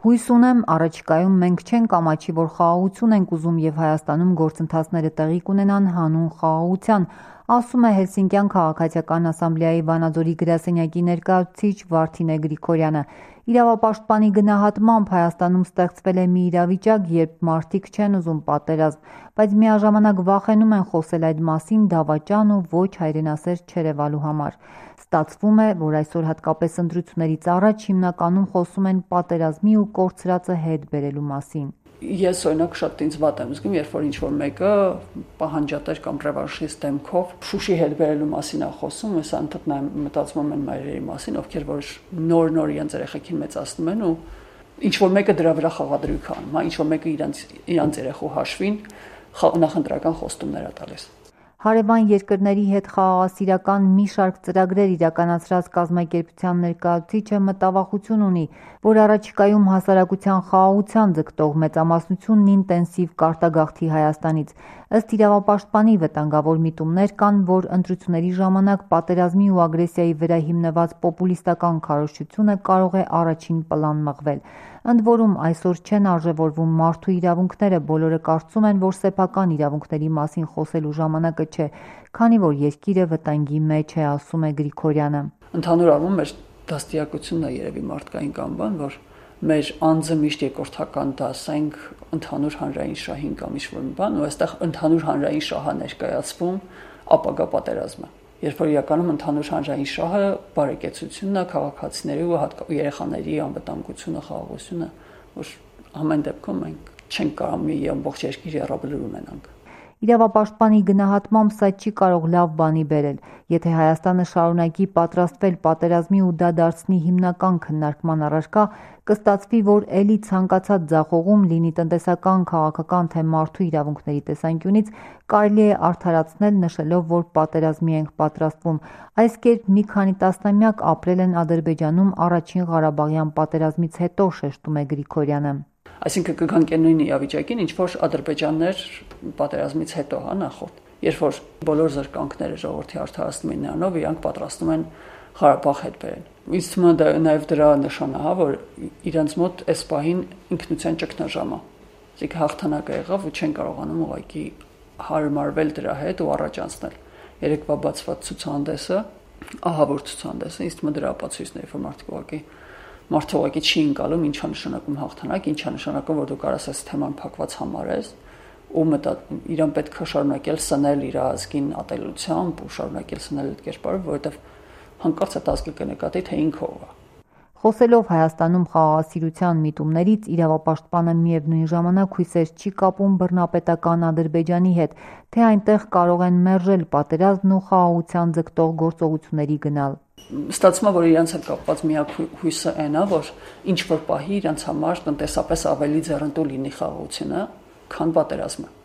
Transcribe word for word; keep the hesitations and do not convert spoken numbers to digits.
Հույս ունեմ, առաջիկայում մենք չենք ամաչի, որ խաղաղություն ենք ուզում եւ Հայաստանում գործընթացները տեղի կունենան հանուն խաղաղության, ասում է Հելսինկյան քաղաքացիական ասամբլեայի Վանաձորի գրասենյակի ներկայացուցիչ Վարդինե Գրիգորյանը։ Իրավապաշտպանի գնահատմամբ Հայաստանում ստեղծվել է մի իրավիճակ, երբ մարդիկ չեն ուզում պատերազմ, բայց միաժամանակ վախենում են խոսել այդ մասին դավաճան ու ոչ հայրենասեր չերևալու համար։ Ստացվում է, որ այսօր հատկապես ընտրություններից առաջ հիմնականում խոսում են պատերազմի ու կորցրածը հետ բերելու մասին։ Ես օրինակ շատ ինձ վատ եմ զգում, երբ որ ինչ-որ մեկը պահանջատեր կամ ռևանշիստ դեմքով Շուշի հետ բերելու մասին է խոսում, ես անդադար մտածում եմ մայրերի մասին, ովքեր որ նոր-նոր իրենց երեխեքին մեծացնում են ու ինչ-որ մեկը դրա վրա խաղադրույք անում, հա, ինչ-որ մեկը իրենց իրենց երեխու հաշվին նախընտրական խոստումներ է տալիս։ Հարևան երկրների հետ խաղաղասիրական մի շարք ծրագրեր իրականացրած կազմակերպության ներկայացուցիչը մտավախություն ունի, որ առաջիկայում հասարակության խաղաղության ձգտող մեծամասնությունն ինտենսիվ կարտագաղթի Հայաստանից։ Ըստ իրավապաշտպանի վտանգավոր միտումներ կան, որ ընտրությունների ժամանակ պատերազմի ու ագրեսիայի վրա հիմնված պոպուլիստական քարոզչությունը կարող է առաջին պլան մղվել։ Ընդ որում այսօր չեն արժևորվում մարդու իրավունքները, բոլորը կարծում են, որ սեփական իրավունքների մասին խոսելու ժամանակը չէ, քանի որ երկիրը վտանգի մեջ է, ասում է Գրիգորյանը։ Ընդհանուր առմամբ մեր դաստիարակությունն է երևի մարդկային կամ բան, որ մեր անձը միշտ երկրորդական դասենք ընդհանուր հանրային շահին կամ ինչ-որ մի բան, ու այստեղ ընդհանուր հանրային շահը ներկայացվում ապագա պատերազմը։ Երբ որ իրականում ընդհանուր հանրային շահը բարեկեցությունն է, քաղաքացիների ու երեխաների անվտանգությունը, խաղաղությունը, որ ամեն դեպքում մենք չենք կարող մի ամբողջ երկիր երաբլուր ունենանք։ Իրավապաշտպանի գնահատմամբ սա չի կարող լավ բանի բերել։ Եթե Հայաստանը շարունակի պատրաստվել պատերազմի ու դա դարձնի հիմնական քննարկման առարկա, կստացվի, որ ելի ցանկացած ձախողում լինի տնտեսական, քաղաքական թե մարդու իրավունքների տեսանկյունից կարելի է արդարացնել նշելով, որ պատերազմի ենք պատրաստվում։ Այս կերպ մի քանի տասնամյակ ապրել են Ադրբեջանում առաջին Ղարաբաղյան պատերազմից հետո, շեշտում է Գրիգորյանը։ Այսինքն կգանք այն նույն իրավիճակին, ինչ որ Ադրբեջաններ պատերազմից հետո, հա, նախորդ, երբ որ բոլոր զրկանքները ժողովրդի արդարացնում են նրանով, իրանք պատրաստում են Ղարաբաղ հետ բերեն։ Ինձ թվում է դա նաև դրա նշանը, հա, որ իրանց մոտ այս պահին ինքնության ճգնաժամը, այսինքն հաղթանակը եղավ ու չեն կարողանում ուղղակի հարմարվել դրա հետ ու առաջ անցնել։ Երեկվա բացված ցուցահանդեսը, ահավոր ցուցահանդեսը, ինձ թվում է դրա ապացույցն է, որ մարդիկ ուղղակի Մարդը ուղղակի չի ընկալում ինչա նշանակում հաղթանակ, ինչա նշանակում, որ դու կարաս այս թեման փակված համարես ու մտա իրան պետք է շարունակել սնել իր ազգին ատելությամբ ու շարունակել սնել այդ կերպարով, որովհետև հանկարծ այդ ազգը կնկատի, թե ինքը ով է։ Խոսելով Հայաստանում խաղաղասիրության միտումներից, իրավապաշտպանը միևնույն ժամանակ հույսեր չի կապում բռնապետական Ադրբեջանի հետ, թե այնտեղ կարող են մերժել պատերազմն ու խաղաղության ձգտող գործողությունների գնալ։ Ստացվում է, որ իրենց հետ կապված միակ հույսը այն է, որ ինչ որ պահի իրենց համար տնտեսապես ավելի ձեռնտու լինի խաղաղությունը, քան պատերազմը։